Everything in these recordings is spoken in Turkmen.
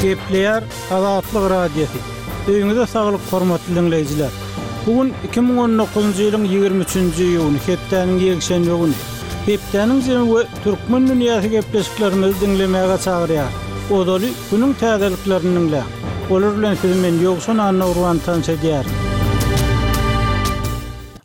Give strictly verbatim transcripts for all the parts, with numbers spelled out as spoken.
Gepleýär Azatlyk Radiosy. Öýüňize saglyk, hormatly diňleýjiler. Bu gün iki müň on dokuzynjy ýylyň ýigrimi üçünji iýuny, hepdäniň ýekşenbe güni. Hepdäniň jemi we Türkmen dünýäsi gepleşiklerimizi diňlemäge çagyrýar. Ozaly günüň täzeliklerini diňläň. Olar bilen sizi men Ýowşan Annagurban tanyş edýärin.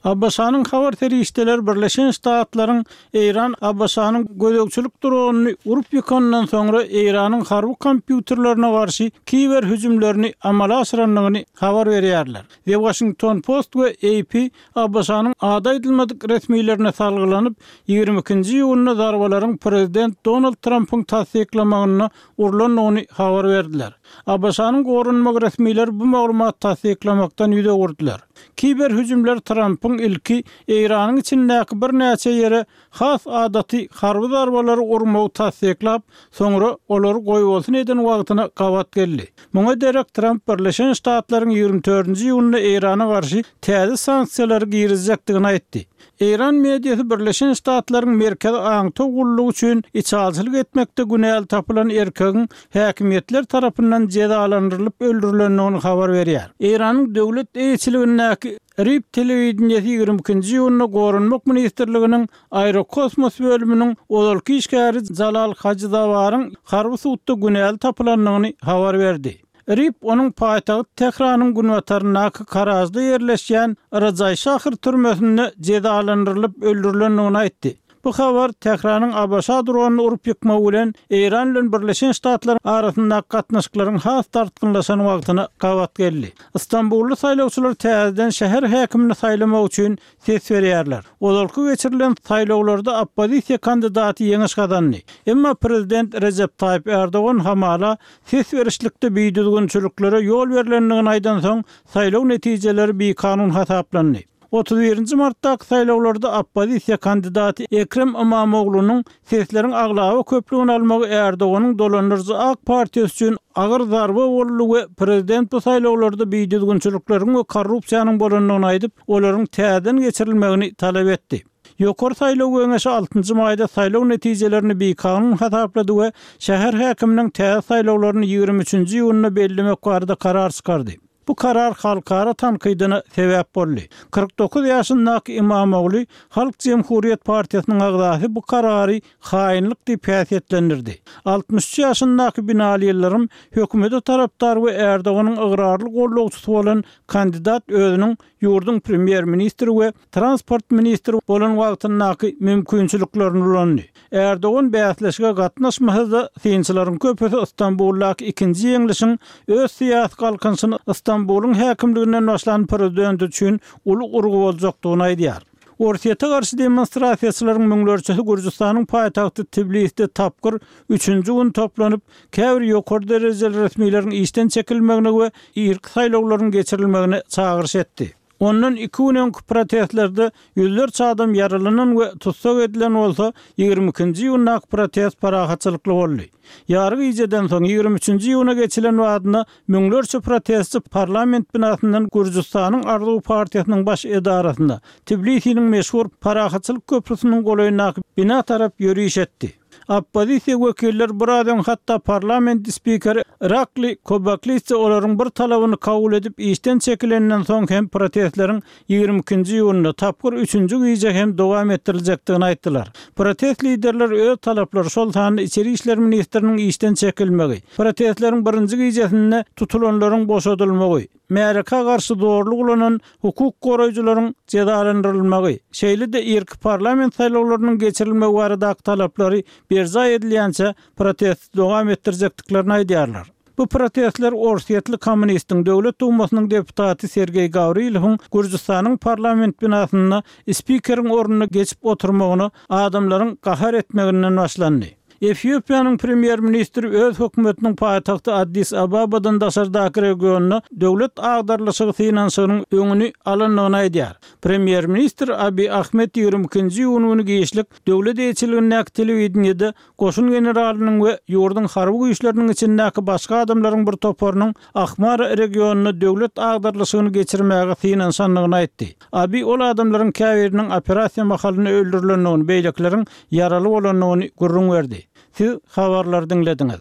A B Ş-nyň habar serişdeleri Birleşen Ştatlaryň Eýran A B Ş-nyň gözegçilik dronyny urup ýykandan soňra Eýranyň harby kompýuterlerine garşy kiber hüjümlerini amala aşyrandygyny habar berýärler. The Washington Post we A P A B Ş-nyň ady aýdylmadyk resmilerine salgylanyp, ýigrimi ikinji iýunda zarbalaryň prezident Donald Trumpyň tassyklamagynda urlandygyny habar berdiler. A B Ş-nyň goranmak resmileri bu maglumat tassyklamakdan ýüz öwürdiler. Kiber hüjümler Trumpyň ilki Eýranyň içindäki birnäçe ýere has adaty harby zarbalary urmagy tassyklap, soňra olary goýbolsun eden wagtyna gabat geldi. Muňa derek Trump Birleşen Ştatlaryň ýigrimi dördünji iýunda Eýrana garşy täze sanksiýalary girizjekdigini aýtdy. Eýran mediasy Birleşen Ştatlaryň Merkezi Aňtaw gullugy üçin içalçylyk etmekde günäli tapylan erkegiň häkimiýetler tarapyndan jezalandyrylyp öldürilendigini habar berýär. Eýranyň döwlet eýeçiligindäki R I B telewideniýesi ýigrimi ikinji iýunda Goranmak ministrliginiň aerokosmos bölüminiň ozalky işgäri Jalal Hajyzawaryň harby sudda günäli tapylandygyny habar berdi. R I B onuň paýtagt Tähranyň günbataryndaky Karajda ýerleşýän Rajaý Şahr türmesinde jezalandyrylyp öldürilendigini aýtdy. Bu habar Tähranyň A B Ş dronyny urup ýykmagy bilen Eýran bilen Birleşen Ştatlar arasyndaky gatnaşyklaryň has dartgynlaşan wagtyna gabat geldi. Istanbully saýlawçylar täzeden şäher häkimini saýlamak üçin ses berýärler. Ozalky geçirilen saýlawlarda oppozisiýa kandidaty ýeňiş gazandy. Emma prezident Recep Tayyip Erdogan hamala ses berişlikde bidüzgünçiliklere ýol berilendigini aýdan soň saýlaw netijeleri bikanun hasaplandy. Otuz birinji martdaky saýlawlarda oppozisiýa kandidaty Ekrem Imamoglunyň sesleriň aglaba köplügini almagy Erdoganyň dolandyryjy AK Partiýasy üçin agyr zarba boldy we prezident bu saýlawlarda bidüzgünçilikleriň we korrupsiýanyň bolandygyny aýdyp, olaryň täzeden geçirilmegini talap etdi. Ýokary saýlaw geňeşi altynjy maýda saýlaw netijelerini bikanun hasaplady we şäher häkiminiň täze saýlawlaryny ýigrimi üçünji iýunda bellemek barada karar çykardy. Bu karar halkara tankydyna sebäp boldy. Kyrk dokuz ýaşyndaky Imamoglu Halk Cumhuriyet Partiýasynyň agzasy bu karary haýynlyk diýip häsiýetlendirdi. Altmyş üç ýaşyndaky Binali Ýyldyrym hökümete tarapdar we Erdoganyň ygrarly gollagçysy bolan kandidat özüniň ýurduň premýer-ministri we transport ministri bolan wagtyndaky mümkinçiliklerini ulandy. Erdogan bäsleşige gatnaşmasa-da synçylaryň köpüsi Istanbuldaky ikinji ýeňlişiň öz syýasy galkynyşyny Istanbulyň häkimliginden başlan prezident üçin uly urgy boljakdygyny aýdýar. Orsýete garşy demonstrasiýaçylaryň müňlerçesi Gürjüstanyň paýtagty Tbiliside tapgyr üçünji gün toplanyp, käbir ýokary derejeli resmileriň işden çekilmegine we irki saýlawlaryň geçirilmegine çagyryş etdi. Ondan iki gün öňki protestlerde ýüzlerçe adam ýaralanan we tussag edilen bolsa, ýigrimi ikinji iýundaky protest parahatçylykly boldy. Ýary gijeden soň ýigrimi üçünji iýuna geçilen wagtynda müňlerçe protestçi parlament binasyndan Gürjüstanyň Arzuw partiýasynyň baş edarasynda Tbilisiniň meşhur parahatçylyk köprüsiniň golaýyndaky bina tarap ýöriş etdi. Oppozisiýa wekiller biraz öň hatda parlament spikeri Irakli Kobaklidze olaryň bir talabyny kabul edip işden çekilenden soň hem protestleriň ýigrimi ikinji iýunda tapgyr üçünji gije hem dowam etdiriljekdigini aýtdylar. Protest liderleri öz talaplary, şol sanda içeri işler ministriniň işden çekilmegi, protestleriň birinji gijesinde tutulanlaryň boşadylmagy, märeke garşy zorluk ulanan hukuk goraýjylaryň jezalandyrylmagy, şeýle-de irki parlament saýlawlarynyň geçirilmegi baradaky talaplary berjaý edilýänçe protest dowam etdirjekdiklerini aýdýarlar. Bu protestler Orsýetli kommunistiň döwlet dumasynyň deputaty Sergeý Gawrilowyň Gürjüstanyň parlament binasynda spikeriň ornuna geçip oturmagyna adamlaryň gahar etmeginden başlandy. Efiopiýanyň premýer-ministri öz hökümetiniň paýtagty Addis Ababadan daşardaky regionda döwlet agdarlyşygy synanyşygynyň öňüni alandygyny aýdýar. Premýer-ministr Abiy Ahmed ýigrimi ikinji iýun güni giçlik döwlet eýeçiligindäki telewideniýede goşun generalynyň we ýurduň harby güýçleriniň içindäki başga adamlaryň bir toparynyň Ahmara regionynda döwlet agdarlyşygyny geçirmäge synanyşandygyny aýtdy. Abiy ol adamlaryň käbiriniň operasiýa mahalynda öldürilendigini, beýlekileriň ýaraly bolandygyny gürrüň berdi. Siz habarlary diňlediňiz.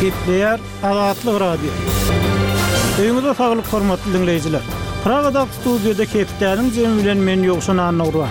Gepleýär Azatlyk Radiosy. Öýüňize saglyk hormatly diňleýjiler. Pragadaky studiýada hepdäniň jemi bilen men Ýowşan Annagurban.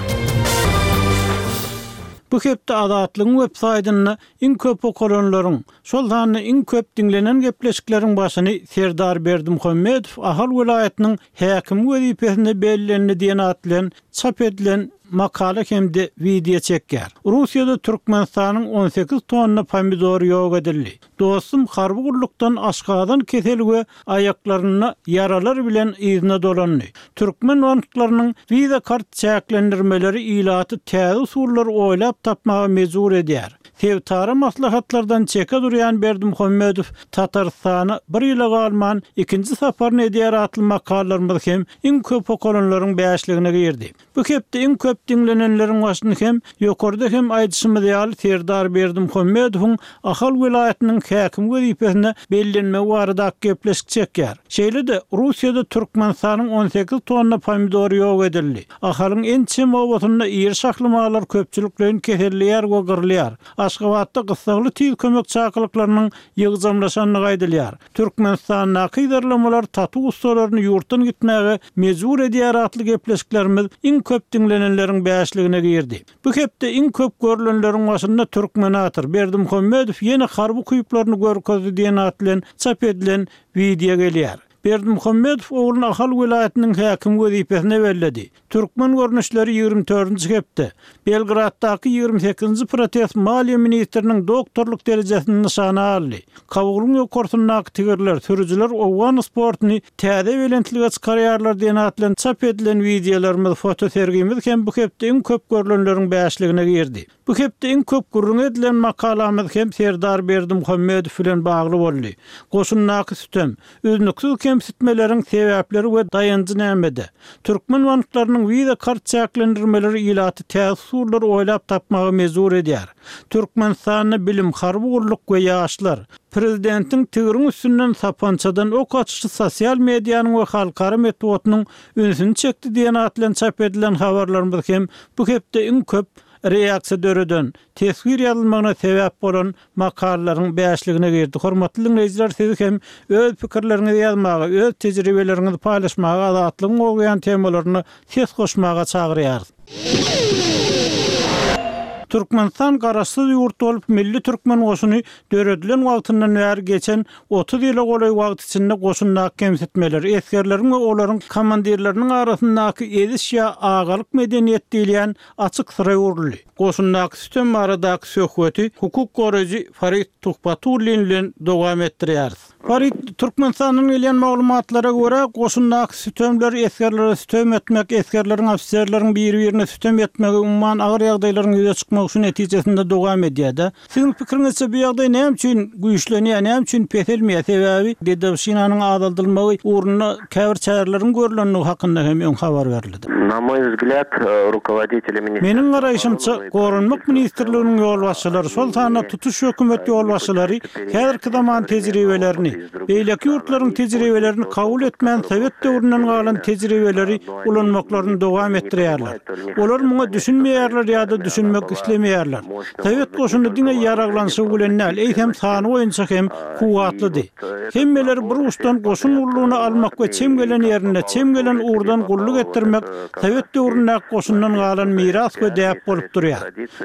Bu hepde Azatlygyň web saýtynda iň köp okalanlaryň, şol sanda iň köp diňlenen gepleşikleriň başyny Serdar Berdimuhamedow Ahal welaýatynyň häkimi wezipesinde bellendi diýen at bilen çap edilen makala hem-de wideo çekýär. Russiýada Türkmenistanyň on sekiz tonna pomidory ýok edildi. Dostum harby gullukdan aşgazan keseli we aýaklarynda ýaralar bilen yzyna dolandy. Türkmen banklarynyň Visa kart çäklendirmeleri ilaty täze usullar oýlap tapmaga mejbur edýär. Sebitara maslahatlardan çeke durýan Berdimuhamedow Tatarystana bir ýyla galman ikinji saparyny edýär atly makalalarymyz hem iň köp okalanlaryň bäşligine girdi. Bu hepde iň köp diňlenenleriň başyny hem ýokarda hem aýdyşymyz ýaly Serdar Berdimuhamedowyň Ahal welaýatynyň häkim wezipesine bellenmegi barada gepleşik çekýär. Şeýle-de Russiýada Türkmenistanyň on sekiz tonna pomidory ýok edildi. Ahalyň ençeme obasynda iri şahly mallar köpçülikleýin keselleýär we gyrylýar. Aşgabatda gyssagly tiz kömek çakylyklarynyň ýygjamlaşandygy aýdylýar. Türkmenistandaky ýerlemeler tatu ustalaryny ýurtdan gitmäge mejbur edýär atly gepleşiklerimiz iň köp diňlenenleriň bäşligine girdi. Bu hepde iň köp görülenleriň başynda Türkmenator Berdimuhamedow ýene harby kuýuplaryny görkezdi diýen at bilen çap edilen wideo gelýär. Berdimuhamedow ogluny Ahal welaýatynyň häkim wezipesine belledi. Türkmen görnüşleri ýigrimi dördünji hepde Belgraddaky ýigrimi sekizinji protest maliýe ministriniň doktorlyk derejesini nyşana aldy. Kabulyň ýokarsyndaky tigirler, sürüjiler Owgan sportuny täze belentlige çykarýarlar diýen at bilen çap edilen wideolarymyz, fotosergimiz hem bu hepde iň köp görülenleriň bäşligine girdi. Bu hepde iň köp gürrüň edilen makalamyz hem Serdar Berdimuhamedow bilen bagly boldy. Goşundaky sütem, üznüksiz kemsitmeleriň sebäpleri we daýanjy nämede? Türkmen banklarynyň Visa kart çäklendirmeleri ilaty täze usullar oýlap tapmaga mejbur edýär. Türkmenistanda bilim, harby gulluk we ýaşlar, prezidentiň tigiriň üstünden sapançadan ok açyşy sosial medianyň we halkara metbugatynyň ünsüni çekdi diýen at bilen çap edilen habarlarymyz hem bu hepde iň köp reaksiýa döreden, teswir ýazylmagyna sebäp bolan makalalaryň bäşligine girdi. Hormatly dinleýjiler, siz hem öz pikirleriňizi ýazmaga, öz tejribeleriňizi paýlaşmaga, azatlygyň gowgaýan temalaryna ses goşmaga çagyrýarys. Türkmenistan garaşsyz ýurt bolup, milli türkmen goşuny döredilen wagtyndan bäri geçen otuz ýyla golaý wagt içinde goşundaky kemsitmeler, esgerleriň we olaryň komandirleriniň arasyndaky eziş ýa agalyk medeniýet diýilýän açyk syra öwrüldi. Goşundaky sütem baradaky söhbeti hukuk goraýjy Farid Tuhbatullin bilen dowam etdirýäris. Farid, Türkmenistandan gelýän maglumatlara görä, goşundaky sütemler, esgerlere sütem etmek, esgerleriň, ofiserleriň bir-birine sütem etmegi umuman agyr ýagdaýlaryň ýüze çykmagy şu netijesinde dowam edýär-de. Siziň pikiriňizçe bu ýagdaý näme üçin güýçlenýär, näme üçin peselmeýär? Sebäbi dedowşinanyň azaldylmagy ugrunda käbir çäreleriň görülendigi hakynda hem öň habar berildi. Na moý взгляд, rukovodители ministrства Meniň garaýşymça, Goranmak ministrliginiň ýolbaşçylary, şol sanda tutuş hökümet ýolbaşçylary häzirki zaman tejribelerini, beýleki ýurtlaryň tejribelerini kabul etmän Sowet döwründen galan tejribeleri ulanmaklaryny dowam etdirýärler. Olar muňa düşünmeýärler ýa-da düşünmek islemeýärler. Sowet goşuny diňe ýaraglanşygy bilen däl, eýsem sany boýunça hem kuwwatlydy. Hemmeleri bir uçdan goşun gullugyna almak we çem gelen ýerinde çem gelen ugurdan gulluk etdirmek Sowet döwründäki goşundan galan miras we däp bolup durýar.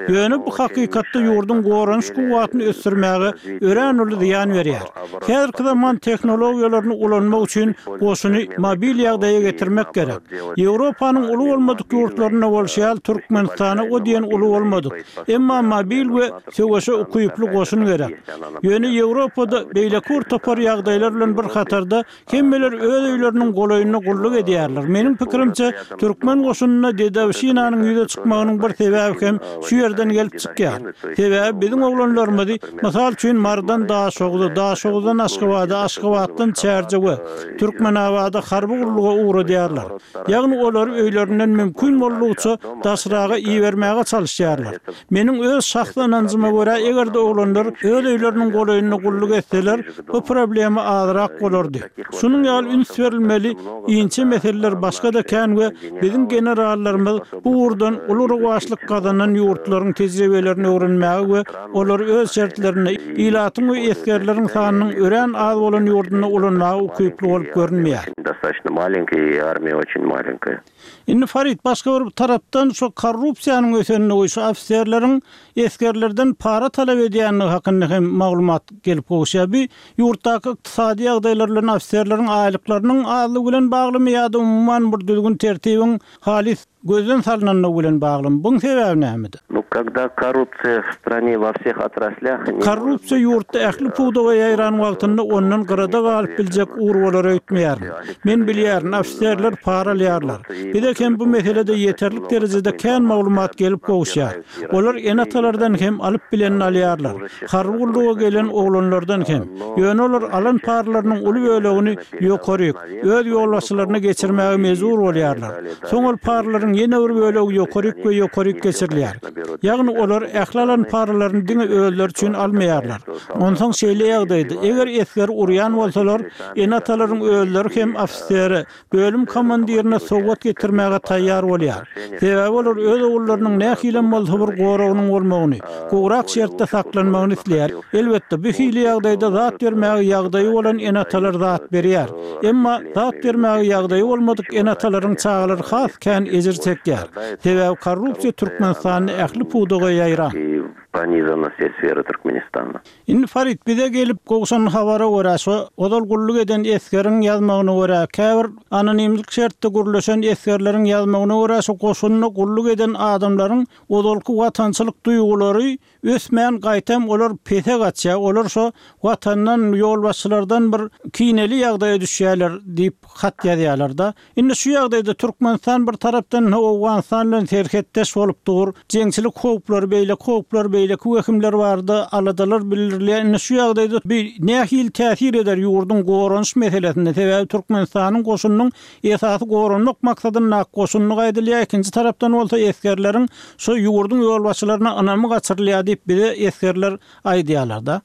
Ýöne bu hakykatda ýurduň goranyş kuwwatyny ösdürmäge örän uly zyýan berýär. Häzirki zaman tehnologiýalaryny ulanmak üçin goşuny mobil ýagdaýa getirmek gerek. Ýewropanyň uly bolmadyk ýurtlarynda bolşy ýaly Türkmenistana o diýen uly bolmadyk. Emma mobil we söweşe ukyply goşun gerek. Ýöne Ýewropada beýleki bir topar ýagdaýlar bilen bir hatarda hemmeler öz öýleriniň golaýynda gulluk edýärler. Meniň pikirimçe, türkmen goşunynda dedowşinanyň ýüze çykmagynyň bir sebäbi hem şu ýerden gelip çykýar. Sebäbi biziň oglanlarymyzy, mysal üçin, Marydan Daşoguz'a, Daşoguzdan Aşgabada Aşgabada, Aşgabatdan Çärjewe, Türkmenabada harby gulluga ugradýarlar. Ýagny olary öýlerinden mümkin boldugyça daşraga ibermäge çalyşýarlar. Meniň öz şahsy ynanjyma görä, eger-de oglanlar öz öýleriniň golaýynda gulluk etseler, bu problema azrak bolardy. Şunuň ýaly üns berilmeli inçe meseleler başga-da kän we biziň generallarymyz bu ugurdan uly rowaçlyk gazanan ýurtlaryň tejribelerini öwrenmäge we olary öz şertlerinde ilatyň we esgerleriň sanynyň örän az bolan ýurdunda ulanmaga ukyply bolup görünmeýär. Достаточно маленькая, и армия очень маленькая. Indi Farid, başga bir tarapdan şu korrupsiýanyň ösenligi, şu ofiserleriň esgerlerden para talap edýänligi hakynda hem maglumat gelip gowuşýar. Bir ýurtdaky ykdysady ýagdaýlar bilen ofiserleriň aýlyklarynyň azlygy bilen baglymy ýa-da umuman bir düzgün tertibiň halys gözden salynanlygy bilen baglymy? Buň sebäbi nämede? Ну, когда коррупция в стране во всех отраслях... не Korrupsiýa ýurtda ähli pudaga ýaýran wagtynda ondan gyrada galyp biljek ugur bolar öýtmeýärin. Men bilýärin, ofiserler para alýarlar. Bize hem bu meselede ýeterlik derejede kän maglumat gelip gowuşýar. Olar ene-atalardan hem alyp bilenini alýarlar. Harby gulluga gelen oglanlardan hem. Ýöne olar alan paralarynyň uly bölegini ýokaryk, öz ýolbaşçylaryna geçirmäge mejbur bolýarlar. Soň ol paralaryň ýene bir bölegi ýokaryk we ýokaryk geçirilýär. Ýagny olar ähli alan paralaryny diňe özleri üçin almaýarlar. Onsoň şeýle ýagdaýda, eger esger urýan bolsalar, ene-atalaryň özleri hem ofisere, bölüm komandirine sowgat getirmäge taýýar bolýar. Sebäbi olar öz ogullarynyň nähili bolsa bir goragynyň bolmagyny, gowrak şertde saklanmagyny isleýär. Elbetde, bu hili ýagdaýda zat bermäge ýagdaýy bolan ene-atalar zat berýär. Emma zat bermäge ýagdaýy bolmadyk ene-atalaryň çagalary has kän ejir çekýär. Sebäbi korrupsiýa Türkmenistanda ähli pudaga ýaýran. И пронизана все сферы Туркменистана. Indi Farid bize gelip gowşan habara görä, şu ozal gulluk eden esgeriň ýazmagyna görä, käbir anonimlik şertde gurluşan esgerleriň ýazmagyna görä, şu goşunda gulluk eden adamlaryň ozalky watançylyk duýgulary ösmän gaýtam olar pese gaçýar. Olar şu watandan ýolbaşçylardan bir kineli ýagdaýa düşýärler diýip hat ýazýarlar da. Indi şu ýagdaýda Türkmenistan bir tarapdan Owganystan bilen serhetdeş bolup dur. Jeňçilik howplary, beýleki howplar, beýleki wehimler bardy, aladalar bildirilýär. Indi şu ýagdaýda bir nähili täsir eder ýurduň goranyş meselesinde? Sebäbi Türkmenistanyň goşunynyň esasy goranmak maksadynda goşunyny gaýdylýar. Ikinji tarapdan bolsa esgerleriň şu ýurduň ýolbaşçylaryna ynamy gaçyrylýar diýip bize esgerler aýdýarlar da.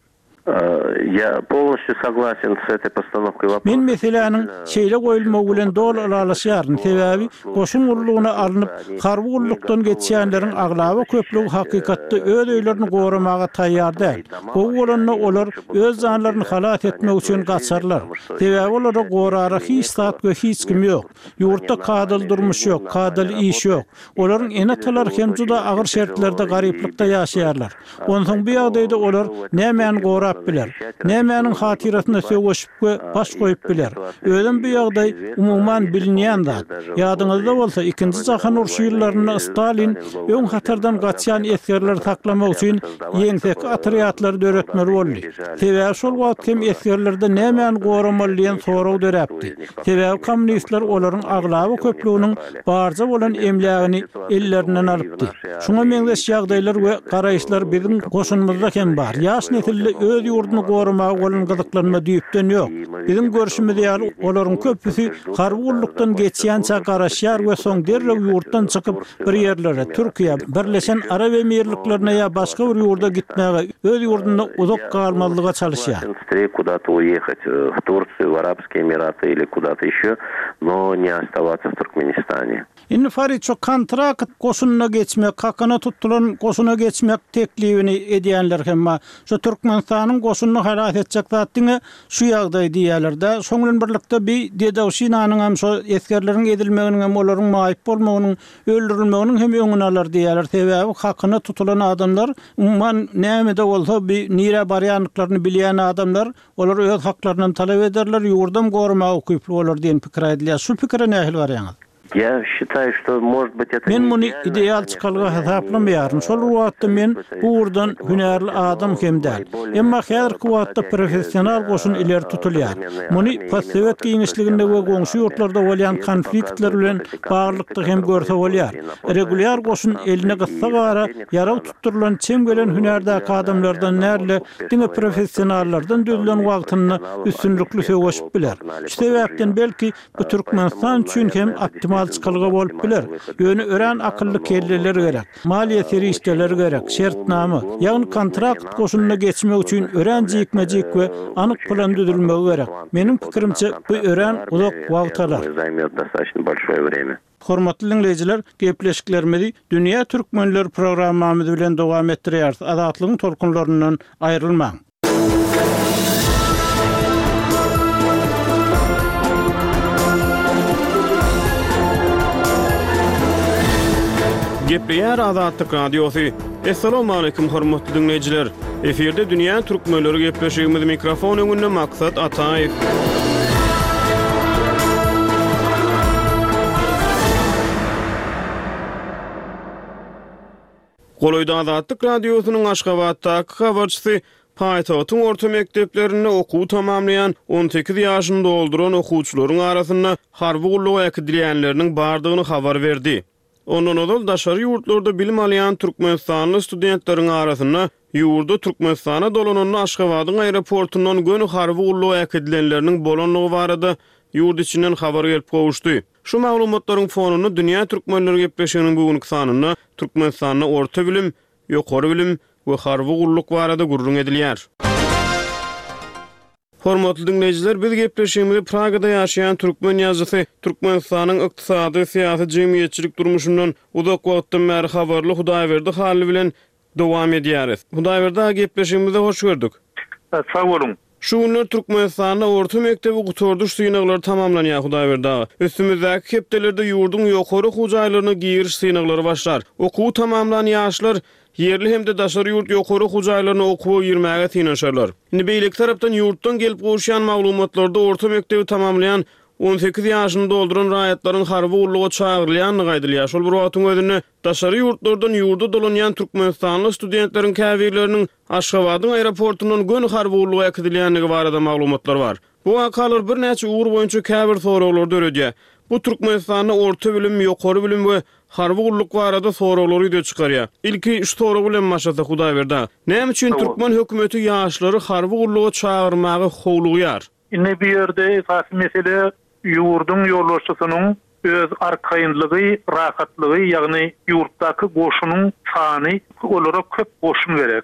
Я полностью согласен с этой постановкой вопроса. Men meseläniň şeýle goýulmagy bilen doly ylalaşýaryn. Sebäbi goşun gullugyna alnyp, harby gullukdan geçýänleriň aglaba köplügi hakykatda öz öýlerini goramaga taýýar däl. Gowy bolanda olar öz janlaryny halas etmek üçin gaçarlar. Sebäbi olara gorara hiç zat we hiç kim ýok. Ýurtda kadaly durmuş ýok, kadaly iş ýok. Olaryň ene-atalary hem juda agyr şertlerde garyplykda ýaşaýarlar. Onsoň bu ýagdaýda olar nämäni gorap biler, nämäniň hatyrasyna söweşip we baş goýup biler. Özüm bu ýagdaý umuman bilinýän zat. Ýadyňyzda bolsa ikinji jahan urşy ýyllarynda Stalin öň hatardan gaçýan esgerleri saklamak üçin ýeňsek otrýadlary döretmeli boldy. Sebäbi şol wagt hem esgerlerde nämäni goramaly diýen sorag döräpdi. Sebäbi kommunistler olaryň aglaba köplüginiň barja bolan emlägini ellerinden alypdy. Şuňa meňzeş ýagdaýlar we garaýyşlar biziň goşunymyzda hem bar. Ýaş nesilde öz ýurduny goramaga bolan gyzyklanma düýpden ýok. Biziň görşümiz ýaly olaryň köpüsi harby gullukdan geçýänçä garaşýar we soň derrew ýurtdan çykyp bir ýerlere, Türkiýe, Birleşen Arap Emirliklerine ýa başga bir ýurda gitmäge, öz ýurdunda uzak galmazlyga çalyşýar. Куда-то уехать в Турцию, в Арабские Эмираты или куда-то еще, но не оставаться в Туркменистане. Indi Farid şu kontrakt goşunyna geçmek, hakyna tutulan goşuna geçmek teklibini edýänler hem bar. Şu Türkmenistanyň goşunyny halas etjek zat diňe şu ýagdaý diýýärler-de. Şoň bilen birlikde bir dedowşinanyň hem şu esgerleriň edilmeginiň hem olaryň maýyp bolmagynyň, öldürilmeginiň hem öňüni alar diýýärler. Sebäbi hakyna tutulan adamlar umuman näme-de bolsa bir nirä barýanlyklaryny bilýän adamlar, olar öz haklaryndan talap ederler, ýurdam goramaga ukyply bolar diýen pikir aýdylýar. Şu pikire nähili garaýaňyz? Ýa şitaýu, şto может быть Men muny ideal çykalga hasaplamaýaryn. Şol bir wagtda men bu ugurdan hünärli adam hem däl. Emma häzirki wagtda professional goşun ileri tutulýar. Muny postsowet giňişliginde we goňşy ýurtlarda bolýan konfliktler bilen baglylykda hem görse bolýar. Regulýar goşun eline gyssagara ýarag tutdurylan çem gelen hünärdäki adamlardan däl-de, diňe professionallardan düzülen wagtynda üstünlikli söweşip biler. Şu sebäpden belki bu Türkmenistan üçin hem optimal çykalga bolup biler. Ýöne örän akylly kelleler gerek, maliýe serişdeleri gerek, şertnama, ýagny kontrakt goşunyna geçmek üçin örän jikme-jik we anyk plan düzülmegi gerek. Meniň pikirimçe, bu örän uzak wagt alar. Hormatly diňleýjiler, gepleşiklerimizi Dünýä Türkmenleri programmamyz bilen dowam etdirýäris. Azatlygyň tolkunlaryndan aýrylmaň. Gepleýär Azatlyk Radiosy. Assalamualaikum hormatly diňleýjiler. Efirde Dünýä Türkmenleri gepleşigimiz mikrofon öňünde Maksat Ataýew. Golaýda Azatlyk Radiosynyň Aşgabatdaky habarçysy paýtagtyň orta mekdeplerinde okuw tamamlaýan on sekiz ýaşyny dolduran okuwçylaryň arasynda harby gulluga äkidilýänleriniň bardygyny habar berdi. Ondan ozal daşary ýurtlarda bilim alýan Türkmenistanly studentleriň arasynda ýurda Türkmenistana dolananda Aşgabadyň aeroportundan göni harby gulluga äkidilenleriniň bolanlygy barada ýurt içinden habar gelip gowuşdy. Şu maglumatlaryň fonunda Dünýä Türkmenleri gepleşiginiň bugünkü sanynda Türkmenistanda orta bilim, ýokary bilim we harby gulluk barada gürrüň edilýär. Hormatly diňleýjiler, biz gepleşigimizi Pragada ýaşaýan türkmen ýazyjysy, Türkmenistanyň ykdysady, syýasy, jemgyýetçilik durmuşyndan uzak wagtdan bäri habarly Hudaýberdi Hally bilen dowam edýäris. Hudaýberdi aga, gepleşigimize hoş gördük. Sag boluň. Şu günler Türkmenistanda orta mekdebi gutardyş synaglary tamamlanýar Hudaýberdi aga. Üstümizdäki hepdelerde ýurduň ýokary okuw jaýlaryna giriş synaglary başlar. Okuwy tamamlan ýaşlar ýerli hem-de daşary ýurt ýokary okuw jaýlaryna okuwa girmäge synanyşarlar. Indi beýleki tarapdan ýurtdan gelip gowuşýan maglumatlarda orta mekdebi tamamlaýan on sekiz ýaşyny dolduran raýatlaryň harby gulluga çagyrylýandygy aýdylýar. Şol bir wagtyň özünde daşary ýurtlardan ýurda dolanýan Türkmenistanly studentleriň käbirleriniň Aşgabadyň aeroportundan göni harby gulluga äkidilýändigi barada maglumatlar bar. Bu wakalar birnäçe ugur boýunça käbir soraglary döredýär. Bu Türkmenistanda orta bilim, ýokary bilim we harby gulluk barada soraglary ýüze çykarýar. Ilki şu sorag bilen başlasak Hudaýberdi aga. Näme üçin Tamam. türkmen hökümeti ýaşlary harby gulluga çagyrmaga howlugýar? Indi bu ýerde esasy mesele ýurduň ýolbaşçysynyň öz arkaýynlygy, rahatlygy, ýagny ýurtdaky goşunyň sany, olara köp goşun gerek.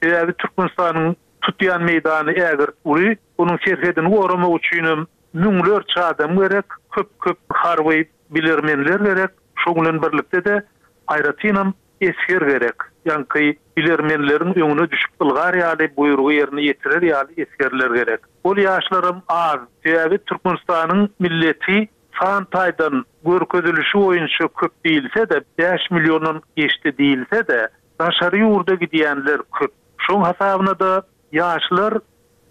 Sebäbi Türkmenistanyň tutýan meýdany ägirt uly, onuň serhedini goramak üçin hem müňlerçe adam gerek, köp-köp harby bilermenler gerek. Şoň bilen birlikde-de aýratynam esger gerek. Ýaňky bilermenleriň öňüne düşüp ylgar ýaly, buýrugy ýerine ýetirer ýaly esgerler gerek. Ol ýaşlaram az. Sebäbi Türkmenistanyň milleti san taýdan görkezilişi boýunça köp diýilse-de, bäş milliondan geçdi diýilse-de, daşary ýurda gidýänler köp. Şoň hasabyna da ýaşlar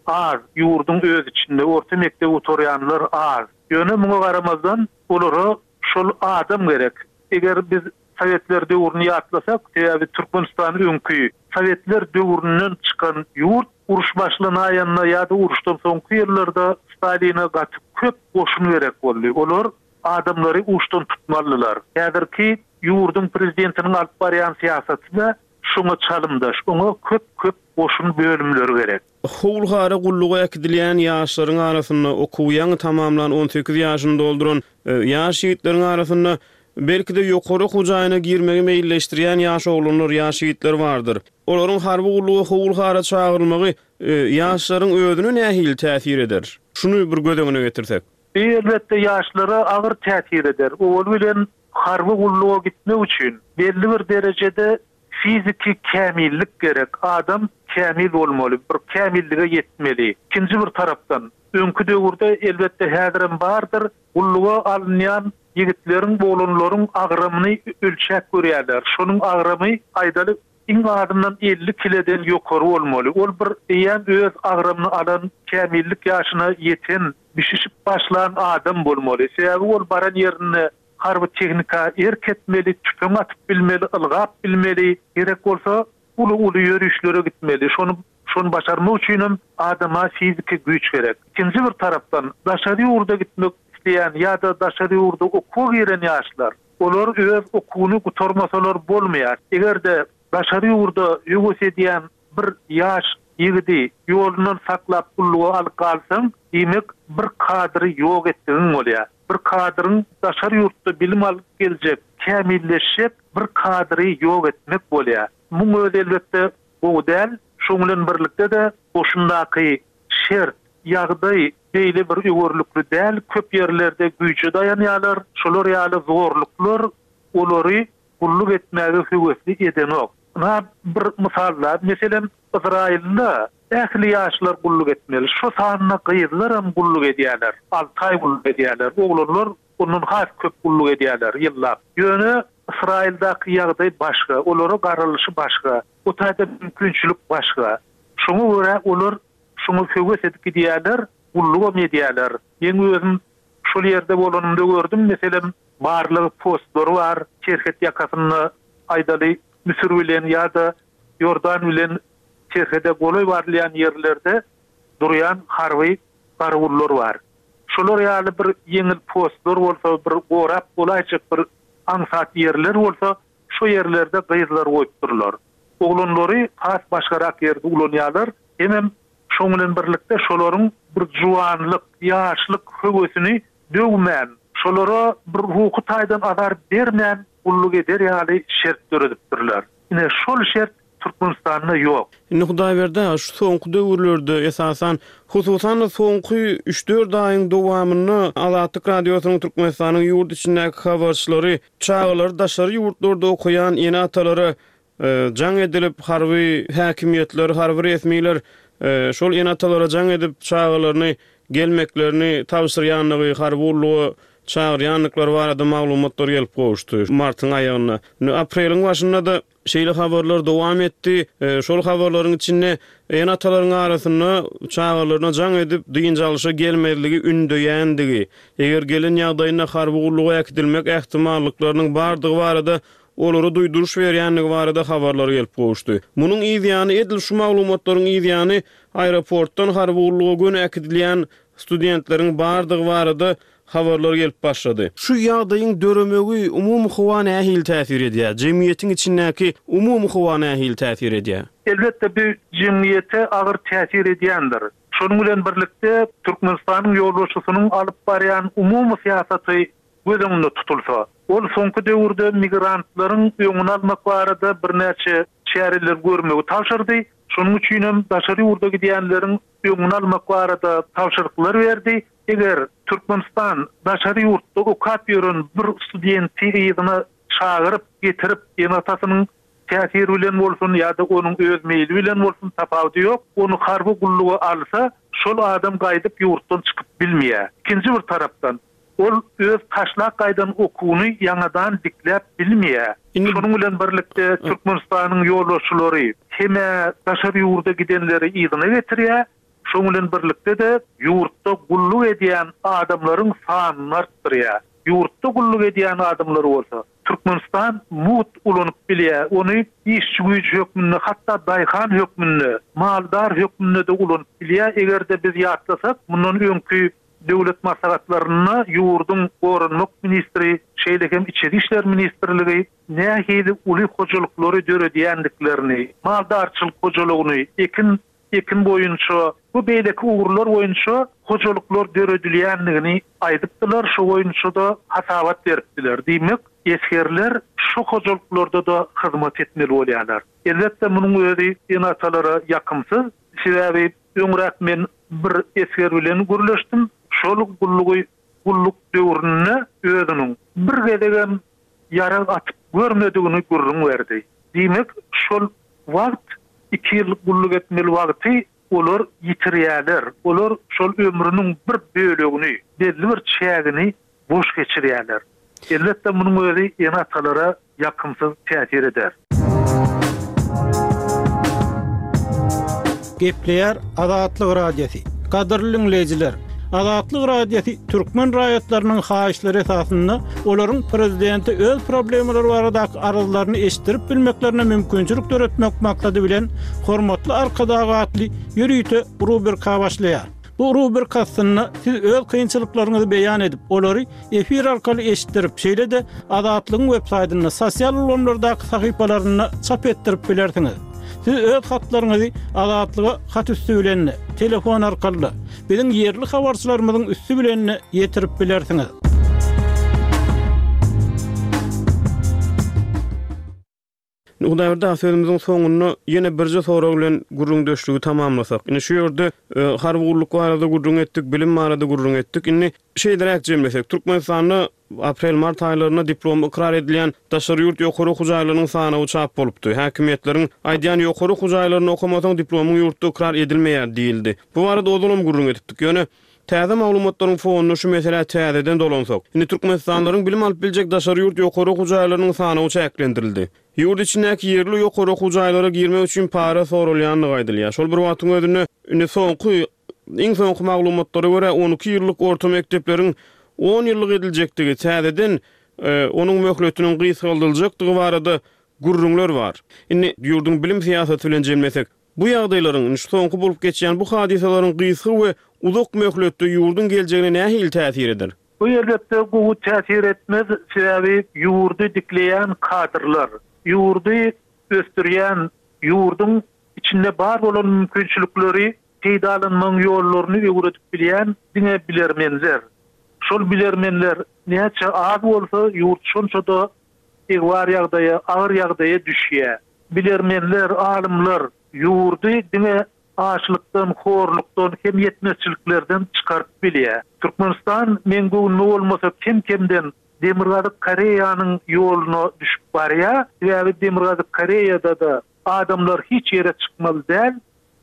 az, ýurduň öz içinde orta mekdep oturýanlar az. Ýöne muňa garamazdan olara şol adam gerek. Eger biz Sowetler döwrüni ýatlasak, sebäbi Türkmenistan öňki Sowetler döwründen çykan ýurt, uruş başlanaýanda ýa-da uruşdan soňky ýyllarda Staline gaty köp goşun gerek boldy. Olar adamlary uçdan tutmalydylar. Häzirki ýurduň prezidentiniň alyp barýan syýasaty-da şoňa çalymdaş, oňa köp-köp goşun bölümleri gerek. Howulhara gulluga äkidilýän ýaşlaryň arasynda okuwy ýaňy tamamlan on sekiz ýaşyny dolduran, e, ýaş ýigitleriň arasynda belki-de ýokary okuw jaýyna girmegi meýilleşdirýän ýaş oglanlar, ýaş ýigitler bardyr. Olaryň harby gulluga howulhara çagyrylmagy, e, ýaşlaryň özüne nähili täsir eder? Şuny bir göz öňüne getirsek. Elbetde ýaşlara agyr täsir eder. Owal bilen harby gulluga gitmek üçin belli bir derejede fiziki kämillik gerek. Adam kämil bolmaly, bir kämillige ýetmeli. Ikinji bir tarapdan, öňki döwürde elbetde häzirem bardyr, gulluga alynýan ýigitleriň, oglanlaryň agramyny ölçäp görýärler. Şonuň agramy aýdaly iň azyndan elli kileden ýokary bolmaly. Ol bir eýýäm öz agramyny alan, kämillik ýaşyna ýeten, bişişip başlan adam bolmaly. Sebäbi ol baran ýerinde Harby tehnika erk etmeli, tüpeň atyp bilmeli, ylgap bilmeli, gerek bolsa uly-uly ýörişlere gitmeli. Şony şony başarmak üçinem adama fiziki güýç gerek. Ikinji bir tarapdan daşary ýurda gitmek isleýän ýa-da daşary ýurda okuwa giren ýaşlar, olar öz okuwyny gutarmasalar bolmaýar. Eger-de daşary ýurda höwes edýän bir ýaş ýigidi ýolundan saklap gulluga alyp galsaň, diýmek bir kadry ýok etdigiň bolýar. Bir kadryň daşary ýurtda bilim alyp geljek, kämilleşjek bir kadry ýok etmek bolýar. Muň özi elbetde gowy däl. Şoň bilen birlikde-de goşundaky şert, ýagdaý beýle bir öwerlikli däl. Köp ýerlerde güýje daýanýarlar. Şolar ýaly zorluklar olary gulluk etmäge höwesli edenok. Ynha bir mysal-da, meselem, Yzraýylda ähli ýaşlar gulluk etmeli. Şo sanda gyzlaram gulluk edýärler. Alty aý gulluk edýärler. Oglanlar ondan has köp gulluk edýärler ýyllap. Ýöne Ysraýyldaky ýagdaý başga, olara garalyşy başga, o taýda mümkinçilik başga. Şoňa görä olar şoňa höwes edip gidýärler, gullugam edýärler. Meň özüm şol ýerde bolanymda gördüm, meselem, barlag postlary bar, serhet ýakasynda aýdaly Müsür bilen ýa-da Iordan bilen serhede golaý barylýan ýerlerde durýan harby garawullar bar. Şolar ýaly bir ýeňil postlar bolsa, bir gorap bolaýjak bir aňsat ýerler bolsa, şo ýerlerde gyzlary goýupdyrlar. Oglanlary has başgarak ýerde ulanýarlar. Hemem şoň bilen birlikde şolaryň bir juwanlyk, ýaşlyk höwesini döwmän, şolara bir ruhy taýdan azar bermän gulluk eder ýaly şert döredipdirler. Ine şol şert Türkmenistanda ýok. Indi Hudaýberdi aga, şu soňky döwürlerde, esasan, hususan-da soňky üç-dört aýyň dowamynda Azatlyk Radiosynyň Türkmenistanyň ýurt içindäki habarçylary çagalary daşary ýurtlarda okaýan ene-atalara jaň edilip, harby häkimiýetler, harby resmiler şol ene-atalara jaň edip, çagalaryny gelmeklerini tabşyrýandygy, harby gulluga çagyrýandyklary barada maglumatlar gelip gowuşdy martyň aýagynda. Indi apreliň başynda-da şeýle habarlar dowam etdi. Şol habarlaryň içinde ene-atalaryň arasynda çagalaryna jaň edip, dynç alşa gelmezligi ündeýändigi, eger gelen ýagdaýynda harby gulluga äkidilmek ähtimallyklarynyň bardygy barada olara duýduryş berýändigi barada habarlar gelip gowuşdy. Munuň yz ýany, edil şu maglumatlaryň yz ýany aeroportdan harby gulluga göni äkidilýän studentleriň bardygy barada habarlar gelip başlady. Şu ýagdaýyň döremegi umumy howa nähili täsir edýär? Jemgyýetiň içindäki umumy howa nähili täsir edýär? Elbetde, bu jemgyýete agyr täsir edýändir. Şonuň bilen birlikde, Türkmenistanyň ýolbaşçysynyň alyp barýan umumy syýasaty göz öňünde tutulsa, ol soňky döwürde migrantlaryň öňüni almak barada birnäçe çäreleri görmegi tabşyrdy. Şonuň üçinem daşary ýurda gidýänleriň öňüni almak barada tabşyryklar berdi. Eger Türkmenistan daşary ýurtda okap ýören bir studenti yzyna çagyryp getirip, ene-atasynyň täsiri bilen bolsun ýa-da onuň öz meýli bilen bolsun, tapawudy ýok, ony harby gulluga alsa, şol adam gaýdyp ýurtdan çykyp bilmeýär. Ikinji bir tarapdan, ol öz taşlap gaýdan okuwyny ýaňadan dikläp bilmeýär. Şonuň bilen birlikde Türkmenistanyň ýolbaşçylary hem-ä daşary ýurda gidenleri yzyna getirýär, şonuň bilen birlikde-de ýurtda gulluk edýän adamlaryň sanyny artdyrýar. Ýurtda gulluk edýän adamlary bolsa Türkmenistan mugt ulanyp bilýär. Ony işçi güýji hökmünde, hatda daýhan hökmünde, maldar hökmünde-de ulanyp bilýär. Eger-de biz ýatlasak, mundan öňki döwlet maslahatlarynda ýurduň Goranmak ministri, şeýle hem Içeri işler ministrligi nähili uly hojalyklary döredýändiklerini, maldarçylyk hojalygyny, ekin ekin boýunça we beýleki ugurlar boýunça hojalyklar döredilýändigini aýdypdylar, şo boýunça-da hasabat beripdiler. Diýmek, esgerler şo hojalyklarda-da hyzmat etmeli bolýarlar. Elbetde, munuň özi ene-atalara ýakymsyz. Sebäbi öňräk men bir esger bilen gürleşdim. Şol gullugy gulluk döwründe özüniň bir gezegem ýarag atyp görmedigini gürrüň berdi. Diýmek, şol wagt iki ýyl gulluk etmeli wagty olar ýitirýärler. Olar şol ömrüniň bir bölegini, belli bir çägini boş geçirýärler. Elbetde, munuň özi ene-atalara ýakymsyz täsir eder. Gepleýär Azatlyk Radiosy. Gadyrly diňleýjiler, Azatlyk Radiosy türkmen raýatlarynyň haýyşlary esasynda olaryň prezidente öz problemalary baradaky arzlaryny eşitdirip bilmeklerine mümkinçilik döretmek maksady bilen Hormatly Arkadag atly ýörite rubrika başlaýar. Bu rubrika astynda siz öz kynçylyklaryňyzy beýan edip, olary efir arkaly eşitdirip, şeýle-de Azatlygyň web saýtynda, sosial ulgamlardaky sahypalarynda çap etdirip bilersiňiz. Siz öz hatlaryňyzy Azatlyga hat üsti bilen, telefon arkaly, biziň ýerli habarçylarymyzyň üsti bilen ýetirip bilersiňiz. Hudaýberdi aga, sözümiziň soňunda ýene birje sorag bilen gürrüňdeşligi tamamlasak. Indi şu ýerde harby gulluk barada gürrüň etdik, bilim barada gürrüň etdik. Indi şeýleräk jemlesek, Türkmenistanda aprel-mart aýlarynda diplom ykrar edilýän daşary ýurt ýokary okuw jaýlarynyň sanawy çap bolupdy. Häkimiýetleriň aýdýan ýokary okuw jaýlaryny okamasaň diplomyň ýurtda ykrar edilmeýär diýildi. Bu barada ozalam gürrüň edipdik. Ýöne täze maglumatlaryň fonunda şu meselä täzeden dolansak. Indi türkmenistanlylaryň bilim alyp biljek daşary ýurt ýokary okuw jaýlarynyň sanawy çäklendirildi. Ýurt içindäki ýerli ýokary okuw jaýlara girmek üçin para soralýandygy aýdylýar. Şol bir wagtyň özünde indi soňky iň soňky maglumatlara görä on iki ýyllyk orta mekdepleriň on ýyllyk ediljekdigi, täzeden onuň möhletiniň gysgaldyljakdygy barada gürrüňler bar. Indi ýurduň bilim syýasaty bilen jemlesek, bu ýagdaýlaryň, indi şu soňky bolup geçýän bu hadysalaryň gysga we uzak möhletde ýurduň geljegine nähili täsir eder? Bu elbetde gowy täsir etmez, sebäbi ýurdy dikleýän kadrlar, ýurdy ösdürýän, ýurduň içinde bar bolan mümkinçilikleri peýdalanmagyň ýollaryny öwredip bilýän diňe bilermenler. Şol bilermenler näçe az bolsa ýurt şonça-da egbar ýagdaýa, agyr ýagdaýa düşýär. Bilermenler, alymlar ýurdy diňe açlykdan, horlukdan hem ýetmezçiliklerden çykaryp bilýär. Türkmenistan men göwnüme bolmasa kem-kemden Demirgazyk Koreýanyň ýoluna düşüp barýar. Sebäbi Demirgazyk Koreýada da adamlar hiç ýere çykmaly däl,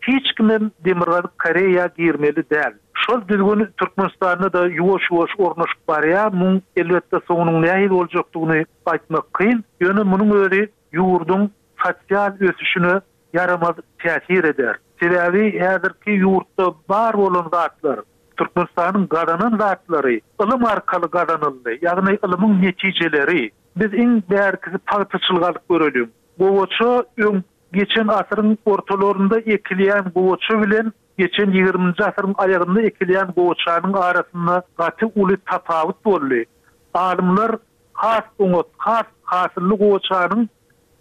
hiç kimem Demirgazyk Koreýa girmeli däl. Şol düzgün Türkmenistanda da ýuwaş-ýuwaş ornaşyp barýar. Muň elbetde soňunyň nähili boljakdygyny aýtmak kyn. Ýöne munuň özi ýurduň sosial ösüşine ýaramaz täsir eder. Sebäbi häzirki ýurtda bar bolan zatlar, Türkmenistanyň gazanan zatlary ylym arkaly gazanyldy. Ýagny ylymyň netijeleri. Biz iň bärkisi pagtaçylyk alyp görelim. Gowaça öň geçen asyryň ortalarynda ekilýän gowaça bilen geçen ýigriminji asyryň aýagynda ekilýän gowaçanyň arasynda gaty uly tapawut boldy. Alymlar has oňat, has hasylly gowaçanyň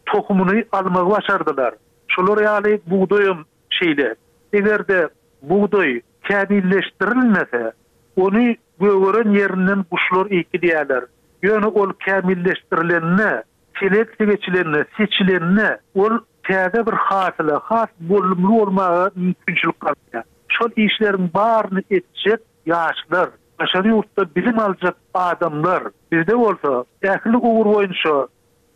tohumyny almagy başardylar. Şolar ýaly bugdaýam şeýle. Eger-de bugdaý kämilleşdirilmese, ony gögeren ýerinden guşlar ekilýärler. Ýöne ol kämilleşdirilenine, seleksiýa geçilenine, seçilenine ol täze bir hasyla, has bolumly bolmaga mümkinçilik galýar. Şol işleriň baryny etjek ýaşlar, daşary ýurtda bilim aljak adamlar, bizde bolsa ähli ugur boýunça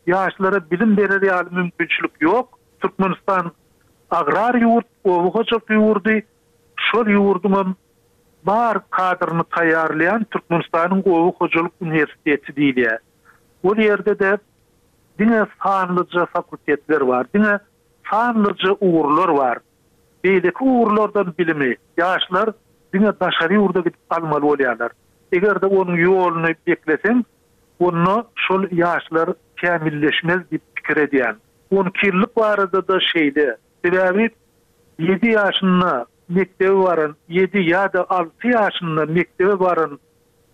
ýaşlara bilim berer ýaly mümkinçilik ýok. Türkmenistan agrar ýurt, oba hojalyk ýurdy, şol ýurduň bar kadryny taýýarlaýan Türkmenistanyň Oba hojalyk uniwersiteti diýilýär. Ol ýerde de diňe sanlyja fakultetler bar, diňe sanlyja ugurlar bar. Beýleki ugurlardan bilimi ýaşlar diňe daşary ýurda gidip almaly bolýarlar. Eger-de onuň ýoluny bekleseň, onda şol ýaşlar kämilleşmez diýip pikir edýän. On iki ýyllyk barada da şeýle. Sebäbi ýedi ýaşynda mektebe baran, ýedi ýa-da alty ýaşynda mektebe baran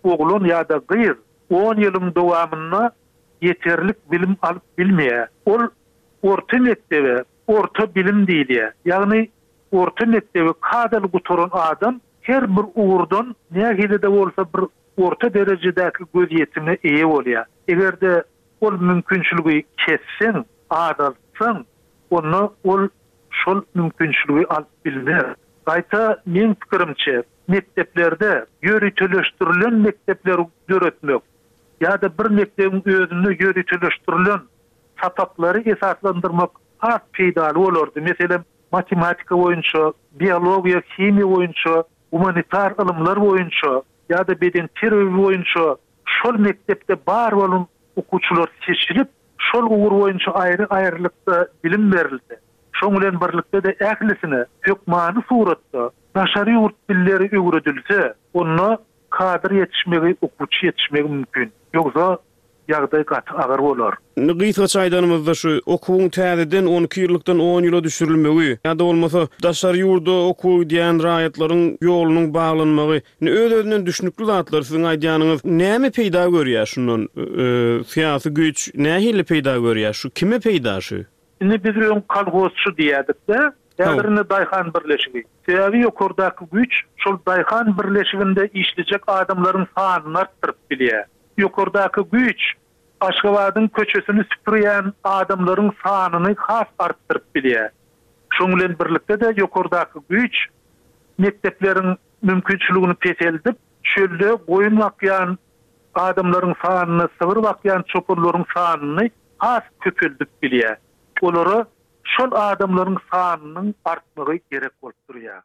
oglan ýa-da gyz on ýylyň dowamynda ýeterlik bilim alyp bilmeýär. Ol orta mektebe, orta bilim diýilýär. Ýagny orta mekdebi kadaly gutaran adam her bir ugurdan nähili-de bolsa bir orta derejedäki gözýetime eýe bolýar. Eger-de ol mümkinçiligi kesseň, azaltsaň, onda ol şol mümkinçiligi alyp bilmez. Gaýta meň pikirimçe mekdeplerde ýöriteleşdirilen mekdepleri döretmek ýa-da bir mekdebiň özünde ýöriteleşdirilen sapaklary esaslandyrmak has peýdaly bolardy. Meselem, matematika boýunça, biologiýa, himiýa boýunça, humanitar ylymlar boýunça ýa-da beden terbiýe boýunça şol mekdepde bar bolan okuwçylar seçilip, şol ugur boýunça aýry-aýrylykda bilim berildi. Şoň bilen birlikde-de ählisine hökmany suratda daşary ýurt dilleri öwredilse, onda kadr ýetişmegi, okuwçy ýetişmegi mümkin. Ýogsa ýagdaý gaty agyr bolar. Indi gysgaça aýdanymyzda şu okuwyň täzeden on iki ýyllykdan on ýyla düşürilmegi ýa-da bolmasa daşary ýurda okuwa gidýän raýatlaryň ýolunyň baglanmagy indi öz-özünden düşnükli zatlar siziň aýdýanyňyz näme peýda görýär şundan syýasy güýç nähili peýda görýär şu kime peýda şu? Indi biz öň kolhozçy diýýärdik-de, häzir indi daýhan birleşigi. Sebäbi ýokardaky güýç şol daýhan birleşiginde işlejek adamlaryň sanyny artdyryp bilýär. Ýokardaky güýç Aşgabadyň köçesini süpürýän adamlaryň sanyny has artdyryp bilýär. Şoň bilen birlikde-de ýokardaky güýç mekdepleriň mümkinçiligini peseldip, çölde goýun bakýan adamlaryň sanyny, sygyr bakýan çopanlaryň sanyny has köpeldip bilýär. Olara şol adamlaryň sanynyň artmagy gerek bolup durýar.